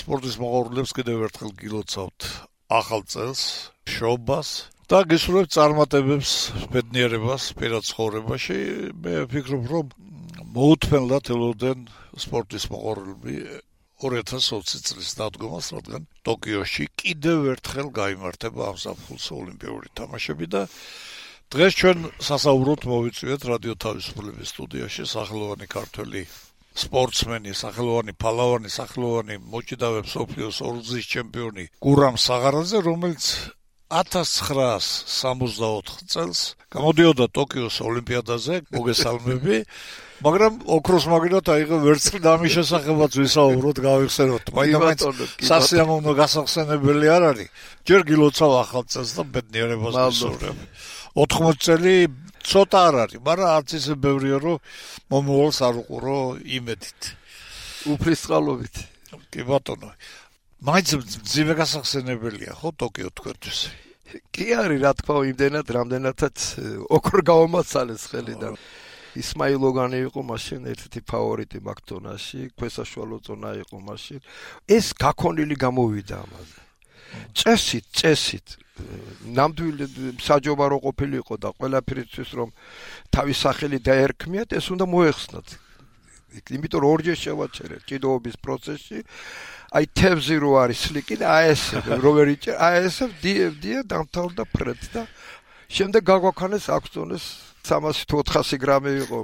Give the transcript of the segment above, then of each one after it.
სპორტის მოყვარულებს კიდევ ერთხელ გილოცავთ ახალ წელს, მშობას და გისურვებთ წარმატებებს, ბედნიერებას პირად ცხოვრებაში. მე ვფიქრობ, რომ მოუთმენლად ელოდნენ სპორტის მოყვარულები 2020 წლის დადგომას, რადგან ტოკიოში კიდევ ერთხელ გაიმართება ამ ზაფხულს ოლიმპიური თამაშები და დღეს ჩვენ სასაუბროდ მოვიწვიეთ რადიო თავისუფლების სტუდიაში სახელოვანი ქართველი სპორტსმენი, სახელოვანი ფალავანი, სახელოვანი მოჭიდავე მსოფლიოს ორგზის ჩემპიონი გურამ საღარაძე, რომელიც 1964 წელს გამოდიოდა ტოკიოს ოლიმპიადაზე, მოგესალმები, მაგრამ ოქროს მაგნად აიღო ვერცხლი და ამის შესახებაც ვისაუბროთ, გავიხსენოთ. მაინც სასიამოვნო გასახსენებელი არ არის. ჯერ გილოცავ ახალ წელს და ბედნიერებას გისურვებ. 80 წელი ცოტა არ არის, მაგრამ არც ისე ბევრია, რომ მომავალს არ უყურო იმედით. უფლისწყალობით. კი ბატონო. მაინც ძიმე გასახსენებელია, ხო, ტოკიო თქვენთვის? კი არის, რა თქმა უნდა, იმდენად, რამდენადაც ოქრო გავამაცალეს ხელიდან. ისმაილ ოგანი იყო მაშინ ერთ-ერთი ფავორიტი მაკდონალდში, ქვესაშუალო ზონა იყო მაშინ. ეს გაქონილი გამოვიდა ამაზე. წესით ნამდვილი საჯობა რო ყოფილიყო და ყველაფრისთვის რომ თავის სახელი დაერქმიათ, ეს უნდა მოეხსნათ. იმიტომ რომ ორჯერ შევაჩერეთ ჭიდაობის პროცესში, აი თევზი რო არის სლიკი და აესე როვერიჭე, აესე დია დამთავრდა ფრედ და შემდეგ გაგვაქანეს აქციონეს 300-400 გრამი იყო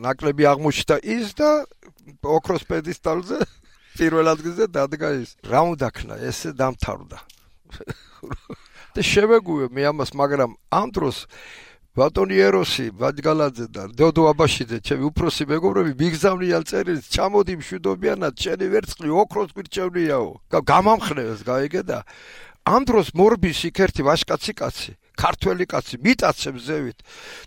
ნაკლები აღმოჩნდა ის და ოქროს პედესტალზე პირველ ადგილზე დადგა ის. რა უნდა ქნა, ესე დამთავრდა. და შევეგუე მე ამას, მაგრამ ამ დროს ბატონი ეროსი, ბაჯგალაძე და დოდო აბაშიძე, ჩემი უფროსი მეგობრები მიგზავნიან წერილს, ჩამოდი მშვიდობიანად, შენი ვერცხლი ოქროს გვირჩევნიაო. გამამხნევეს, გაიგე და ამ დროს მორბის იქ ერთი ვაჟკაცი კაცი, ქართველი კაცი მიტაცებს ზევით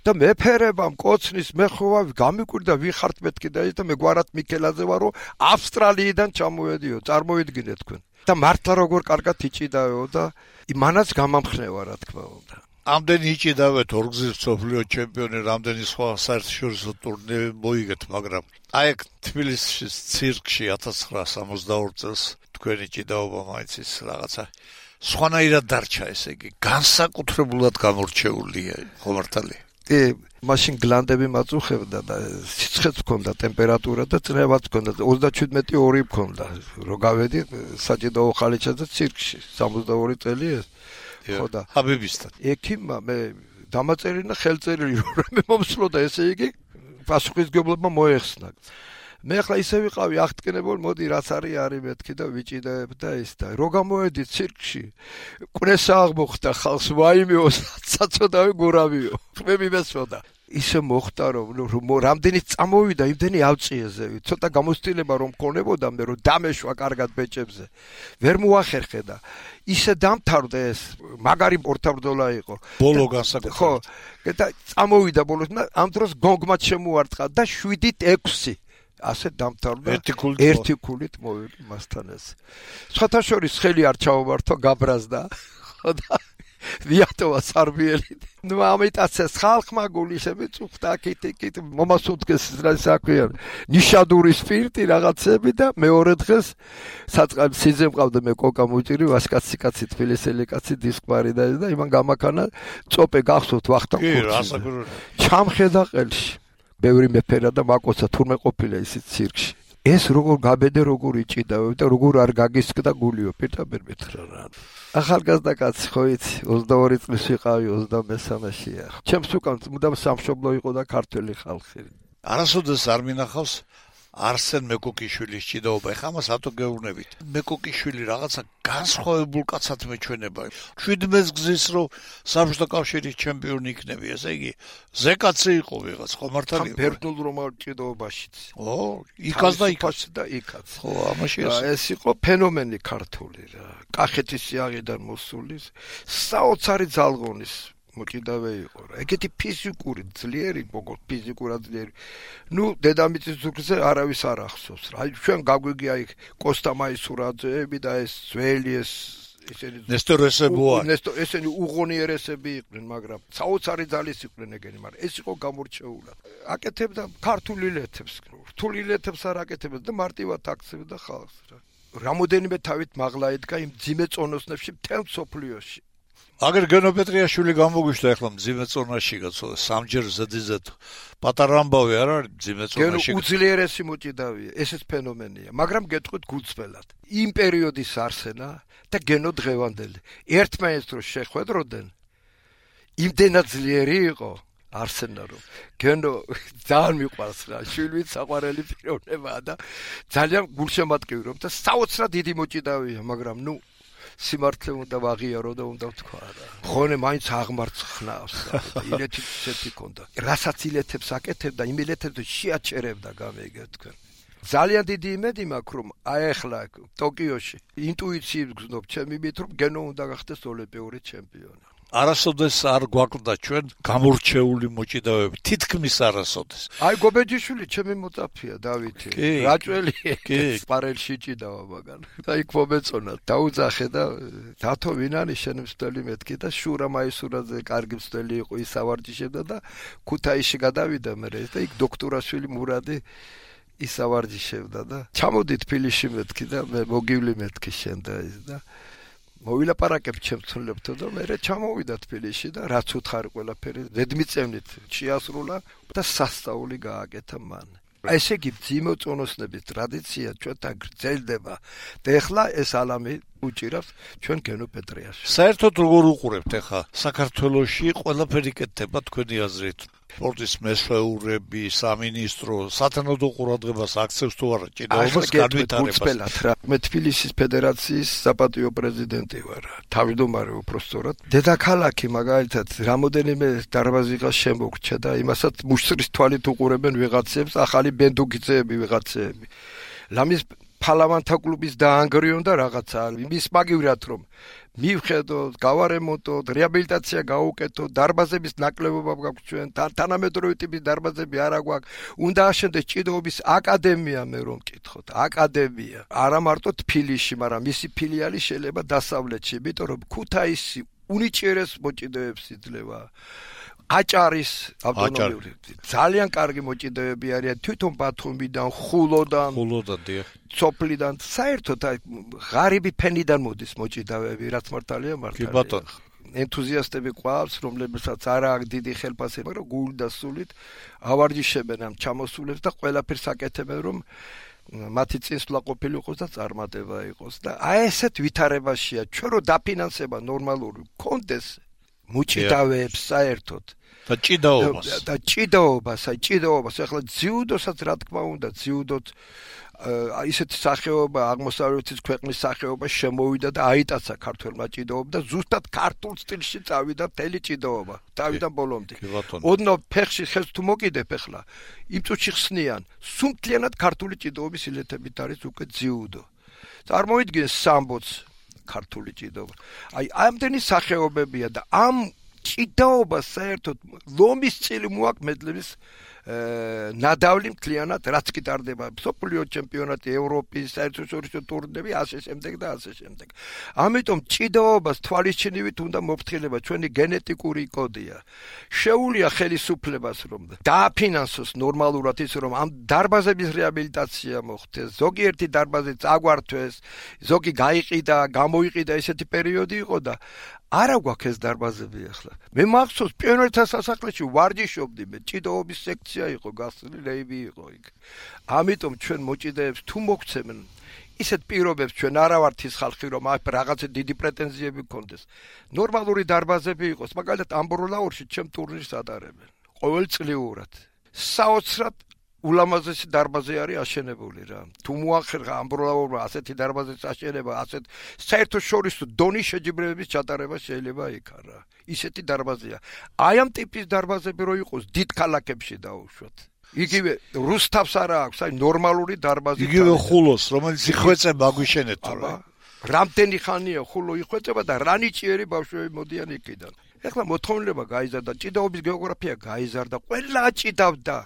და მეფერებამ კოცნის მეხოვავი გამიკვირდა ვიხართ მეთქი და ის და მე გვარად მიქელაძე ვარო ავსტრალიიდან ჩამოვედიო, წარმოვიდგინეთ თქვენ. და მართლა როგორ კარგად იჭიდავეო და იმანაც გამამხნევა, რა თქმა უნდა. ამდენი იჭიდავეთ ორგზის მსოფლიო ჩემპიონი, რამდენი სხვა საერთაშორისო ტურნირი მოიგეთ, მაგრამ აი აქ თბილისის ცირკში 1962 წელს თქვენი ჭიდაობა მაინც ის რაღაცა სხვანაირად დარჩა, ესე იგი, განსაკუთრებულად გამორჩეულია, ხო მართალია? კი, მაშინ გლანდები მაწუხებდა და სიცხეც ჰქონდა, ტემპერატურა და წნევაც ჰქონდა, 37.2 ჰქონდა. რო გავედი საჭიდაო ხალიჩაზე ცირკში, 62 წელი ეს. ხო და ჰაბიბისთან. ექიმმა მე დამაწერინა ხელწერილი, რომ მე მომსვლოდა, ესე იგი, პასუხისმგებლებმა მოეხსნა. მე ახლა ისე ვიყავი აღტკინებული, მოდი რაც არის მეთქი და ვიჭიდებ და ის და რო გამოვედი ცირკში, კვნესა აღმოხდა ხალხს, ვაიმეო, საწოდავი გურავიო. მე მიმესვოდა. ისე მოხდა რომ რამდენი წამოვიდა, იმდენი ავწიე ზევით. ცოტა გამოცდილება რომ მქონებოდა მე რომ დამეშვა კარგად ბეჭებზე. ვერ მოახერხე და ისე დამთავრდა ეს, მაგარი პორტაბრძოლა იყო. ბოლო განსაკუთრებით. ხო, და წამოვიდა ბოლოს, ამ დროს გონგმაც შემოარტყა და 7-6 ასე დამთავრდა. ერთი ქულით მოვიდა მასთან ეს. სხვათა შორის ხელი არ ჩაოვართო, გაბრაზდა. ხო და ვიატოვა სარბიელი. ნუ ამიტაცეს ხალხმა გულისები წუხდა კიტ მომასუნთქეს საქმეა. ნიშადური სპირტი რაღაცები და მეორე დღეს საწყალ სიძე მყავდა მე კოკა მოჭირი ვასკაცი კაცი თბილისელი კაცი დისკმარი და იმან გამაქანა წოპე გახსოვთ ვახტანგ ხურცი. ჩამხედა ყელში. ბევრი მეფერა და მაკოცა თურმე ყოფილა ისიც ცირკში. ეს როგორ გაბედე, როგორ იჭიდავ და როგორ არ გაგისკდა გულიო, პირდაპირ მითხრა რა. ახალგაზრდა კაცი ხო იცი, 22 წლის ვიყავი, 23-შია. ჩემს უკან მუდამ სამშობლო იყო და ქართველი ხალხი. არასოდეს არ მინახავს არსენ მეკოკიშვილის ჭიდაობა. ეხლა ამას რატო გეუბნებით? მეკოკიშვილი რაღაცა განსხვავებულ კაცად მეჩვენება. 17 გზის რომ საბჭოთა კავშირის ჩემპიონი იქნები, ესე იგი, ზეკაცი იყო ვიღაც, ხო მართალია? ბერძნულ რომაულ ჭიდაობაშიც. ო, იქაც და იქაც და იქაც. ხო, ამაში ეს იყო ფენომენი ქართული რა. კახეთის სიაღიდან მოსული საოცარი ძალღონის მოჭიდავე იყო რა. ეგეთი ფიზიკური ძლიერი, მოგო ფიზიკურად ძლიერი. ნუ დედამიწის ზურგზე არავის არ ახსოვს რა. აი ჩვენ გაგვიგია იქ კოსტა მაისურაძეები და ეს ძველი ეს ესენი ნესტორ ესებოა. ესენი უღონიერესები იყვნენ, მაგრამ საოცარი ძალის იყვნენ ეგენი, მაგრამ ეს იყო გამორჩეულად. აკეთებდა ქართული ლეთებს, რთული ლეთებს არ აკეთებდა და მარტივად აქცევდა ხალხს რა. რამოდენიმე თავით მაღლა ედგა იმ ძიმე წონოსნებში მთელ მსოფლიოში. აგერ გენოპეტრიაშვილი გამოგვიშთა ახლა მძიმე წონაში გაცოლა სამჯერ ზედიზედ პატარა ამბავი არ არის მძიმე წონაში. გენო უძლიერესი მოჭიდავია, ესეც ფენომენია, მაგრამ გეტყვით გულწრფელად. იმ პერიოდის არსენა და გენო დღევანდელი ერთმანეთს რო შეხვედროდნენ, იმდენად ძლიერი იყო არსენა რომ გენო ძალიან მიყვარს რა, შვილივით საყვარელი პიროვნებაა და ძალიან გულშემატკივრი რომ და საოცრად დიდი მოჭიდავია, მაგრამ ნუ სიმართლე უნდა ვაღიარო და უნდა ვთქვა რა. ხონე მაინც აღმართ ხნავს და ილეთით ისეთი ქონდა. რასაც ილეთებს აკეთებდა, იმ ილეთებს შეაჩერებდა გამეგე თქვენ. ძალიან დიდი იმედი მაქვს რომ აი ახლა ტოკიოში ინტუიციით გზნობ ჩემი მით რომ გენო უნდა გახდეს ოლიმპიური ჩემპიონი. არასოდეს არ გვაკლდა ჩვენ გამორჩეული მოჭიდავეები, თითქმის არასოდეს. აი გობეჯიშვილი ჩემი მოწაფეა დავითი. რაჭველი სპარელში ჭიდავა მაგან. და იქ მომეწონა, დაუძახე და დათო ვინ არის შენ მსვლელი მეთქი და შურა მაისურაძე კარგი მსვლელი იყო, ის ავარჯიშებდა და ქუთაისში გადავიდა მე და იქ დოქტორაშვილი მურადი ის ავარჯიშებდა და ჩამოდი თბილისში მეთქი და მე მოგივლი მეთქი შენ და ის და მოვილაპარაკებ ჩემთულებთან და მე ჩამოვიდა თბილისში და რაც უთხარი ყველაფერი ზედმიწევნით შეასრულა და სასწაული გააკეთა მან. ესე იგი ძიმე წონოსნების ტრადიცია ჩვენთან გრძელდება და ეხლა ეს ალამი უჭირავს ჩვენ გენოპეტრიაში. საერთოდ როგორ უყურებთ ახლა საქართველოში ყველაფერი კეთდება თქვენი აზრით? სპორტის მეშვეურები, სამინისტრო, სათანადო ყურადღებას აქცევს თუ არა ჭიდაობას განვითარებას? მე თბილისის ფედერაციის საპატიო პრეზიდენტი ვარ, თავმჯდომარე უпростоრად. დედაქალაქი მაგალითად რამოდენიმე დარბაზიღა შემოგრჩა და იმასაც მუშტრის თვალით უყურებენ ვიღაცებს, ახალი ბენდუგიძეები ვიღაცეები. ლამის ფალავანთა კლუბის დაანგრიონ და რაღაცა იმის მაგივრად რომ მივხედოთ, გავარემონტოთ, რეაბილიტაცია გაუკეთოთ, დარბაზების ნაკლებობა გვაქვს ჩვენ, თანამედროვე ტიპის დარბაზები არა გვაქვს. უნდა აშენდეს ჭიდაობის აკადემია, მე რომ მკითხოთ, აკადემია. არა მარტო თბილისში, მაგრამ მისი ფილიალი შეიძლება დასავლეთში, იმიტომ რომ ქუთაისი უნიჭიერეს მოჭიდავეებს იძლევა. აჭარის ავტონომიური ძალიან კარგი მოჭიდავეები არიან თვითონ ბათუმიდან, ხულოდან, დიახ. სოფლიდან, საერთოდ ღარიბი ფენიდან მოდის მოჭიდავეები, რაც მართალია მართალია. კი ბატონო. ენთუზიასტები ყავს, რომლებსაც არ აქვს დიდი ხელფასება, მაგრამ გულით და სულით ავარჯიშებენ ამ ჩამოსულებს და ყველაფერს აკეთებენ, რომ მათი წინსვლა ყოფილიყოს და წარმატება იყოს და აი ესეთ ვითარებაშია ჩვენ რო დაფინანსება ნორმალური კონდეს მოჭიდავეებს საერთოდ და ჭიდაობას, ახლა ძიუდოსაც რა თქმა უნდა, ძიუდოთ ისეთი სახეობა, აღმოსავლეთის ქვეყნის სახეობა შემოვიდა და აიტაცა ქართველმა ჭიდაობა და ზუსტად ქართულ სტილში წავიდა მთელი ჭიდაობა, თავიდან ბოლომდე. ოდნავ ფეხში ხელს თუ მოკიდებ ახლა, იმ წუთში ხსნიან, სუმთლიანად ქართული ჭიდაობის ილეთებით არის უკვე ძიუდო. წარმოიდგინე სამბოც ქართული ჭიდაობა. აი ამდენი სახეობებია და ამ ჭიდაობას საერთოდ ლომის წილი მოაქვს მედლების ნადავლი მთლიანად რაც კი ტარდება მსოფლიო ჩემპიონატი, ევროპის საერთაშორისო ტურნირები, ასე შემდეგ და ასე შემდეგ. ამიტომ ჭიდაობას თვალისჩინივით უნდა მოფრთხილება, ჩვენი გენეტიკური კოდია. შეუულია ხელისუფლებას რომ დააფინანსოს ნორმალურად ის რომ ამ დარბაზების რეაბილიტაცია მოხდეს, ზოგიერთი დარბაზი წაგვართვეს, ზოგი გაიყიდა, გამოიყიდა, ესეთი პერიოდი იყო და არა გვაქვს ეს დარბაზები ახლა. მე მახსოვს პიონერთა სასახლეში ვარჯიშობდი მე, ჭიდაობის სექცია იყო გასული, რეივი იყო იქ. ამიტომ ჩვენ მოჭიდაებს თუ მოგცემენ ისეთ პირობებს ჩვენ არა ვართ ის ხალხი რომ აქ რაღაცა დიდი პრეტენზიები გქონდეს. ნორმალური დარბაზები იყოს, მაგალითად ამბროლაურში ჩემ ტურნირს ატარებენ. ყოველწლიურად. საოცრად ულამაზესი დარბაზი არის აშენებული რა. თუ მოახერხა ამბროლაურმა ასეთი დარბაზის აშენება, ასეთ საერთაშორისო დონის შეჯიბრებების ჩატარება შეიძლება იქ რა. ისეთი დარბაზია. აი ამ ტიპის დარბაზები რო იყოს დიდ ქალაქებში დაუშვათ. იგივე რუსთავს არა აქვს, აი ნორმალური დარბაზი. იგივე ხულოს, რომელიც იხვეწება აგვიშენეთ რა. რამდენი ხანია ხულო იხვეწება და რა ნიჭიერი ბავშვები მოდიან იქიდან. ეხლა მოთხოვნილება გაიზარდა, ჭიდაობის გეოგრაფია გაიზარდა, ყველა ჭიდავდა.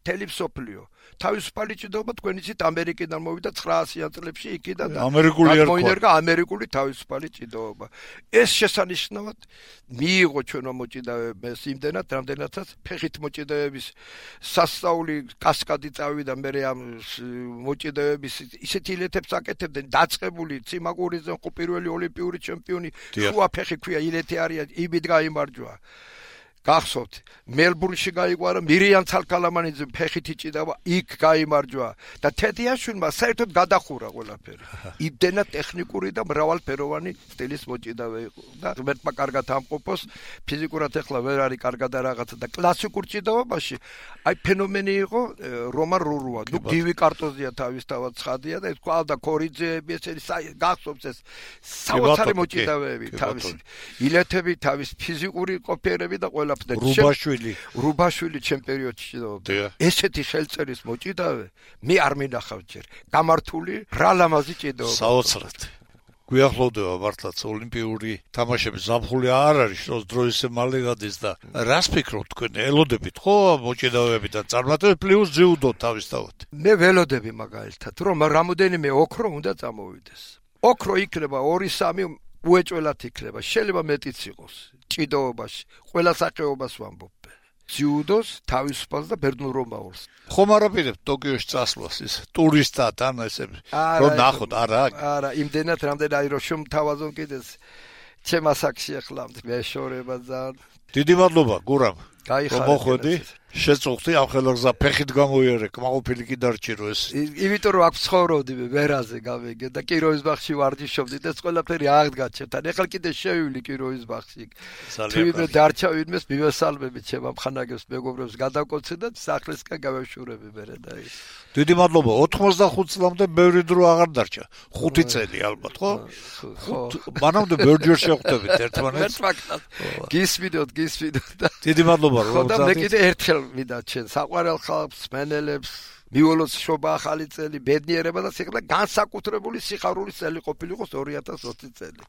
მთელი მსოფლიო. თავისუფალი ჭიდაობა თქვენ იცით ამერიკიდან მოვიდა 900-იან წლებში იქიდან და მოინერგა ამერიკული თავისუფალი ჭიდაობა. ეს შესანიშნავად მიიღო ჩვენო მოჭიდავეებს იმდენად, რამდენადაც ფეხით მოჭიდავების სასწაული კასკადი წავიდა მე ამ მოჭიდავების ისეთი ილეთებს აკეთებდნენ დაწყებული ციმაგურიძე ხო პირველი ოლიმპიური ჩემპიონი შუა ფეხი ქვია ილეთი არის იმით გაიმარჯვა. გახსოვთ მელბურნში გაიყვარა მირიან ცალკალამანიძე ფეხით იჭიდა იქ გაიმარჯვა და თედიაშვილმა საერთოდ გადახურა ყველაფერი. იმდენად ტექნიკური და მრავალფეროვანი სტილის მოჭიდავე იყო და ღმერთმა კარგად ამყოფოს ფიზიკურად ეხლა ვერ არის კარგად რაღაცა და კლასიკურ ჭიდაობაში აი ფენომენი იყო რომან რურუა. ნუ გივი კარტოზია თავისთავად ცხადია და ეს ყავდა ქორიძეები ესენი გახსოვთ ეს საოცარი მოჭიდავეები თავისი ილეთები თავის ფიზიკური ყოფიერები და ყველა რუბაშვილი ჩემ პერიოდში ჭიდაობდა. ესეთი ხელწერის მოჭიდავე მე არ მინახავ ჯერ. გამართული რა ლამაზი ჭიდაობა. საოცრად. გვიახლოვდება მართლაც ოლიმპიური თამაშების ზაფხული არ არის, რომ დროის მალე გადის და რას ფიქრობთ თქვენ? ელოდებით ხო მოჭიდავეებიდან წარმატებით პლუს ჯიუდო თავისთავად. მე ველოდები მაგალითად, რომ რამოდენიმე ოქრო უნდა წამოვიდეს. ოქრო იქნება 2-3 უეჭველად იქნება, შეიძლება მეტიც იყოს ჭიდაობაში, ყველა სახეობას ვამბობ. ჯიუდოს, თავისუფალს და ბერძნულ რომაულს. ხომ არაპირებთ ტოკიოში წასვლას ის ტურისტად ან ესე რომ ნახოთ არა იმდენად რამდენი რომ შემთავაზონ კიდეც ჩემ ასაკში ახლა მეშორება ძალიან. დიდი მადლობა გურამ. გაიხარეთ. მოხვედი შეწუხდი ამ ხელგზა ფეხით გამოიერე კმაყოფილი კი დარჩირო ეს. იმიტომ რომ აქ ცხოვრობდი მე ვერაზე გავიგე და კიროვის ბაღში ვარჯიშობდი და ეს ყველაფერი აღდგა ჩემთან. ეხლა კიდე შევივლი კიროვის ბაღში. თვითონ დარჩა ვინმეს მივესალმები ჩემ ამხანაგებს მეგობრებს გადავკოცე და სახლისკენ გავეშურები მერე და ის. დიდი მადლობა 85 წლამდე ბევრი დრო აღარ დარჩა 5 წელი ალბათ ხო? მანამდე ბევრჯერ შევხვდებით ერთმანეთს. გისმიდოთ და დიდი მადლობა რომ ხოდა მე კიდე ერთხელ ვიდა ჩვენ საყვარელ ხალხს მენელებს მიულოს შობა ახალი წელი ბედნიერება და სიხლა განსაკუთრებული სიხარულის წელი ყოფილიყოს 2020 წელი.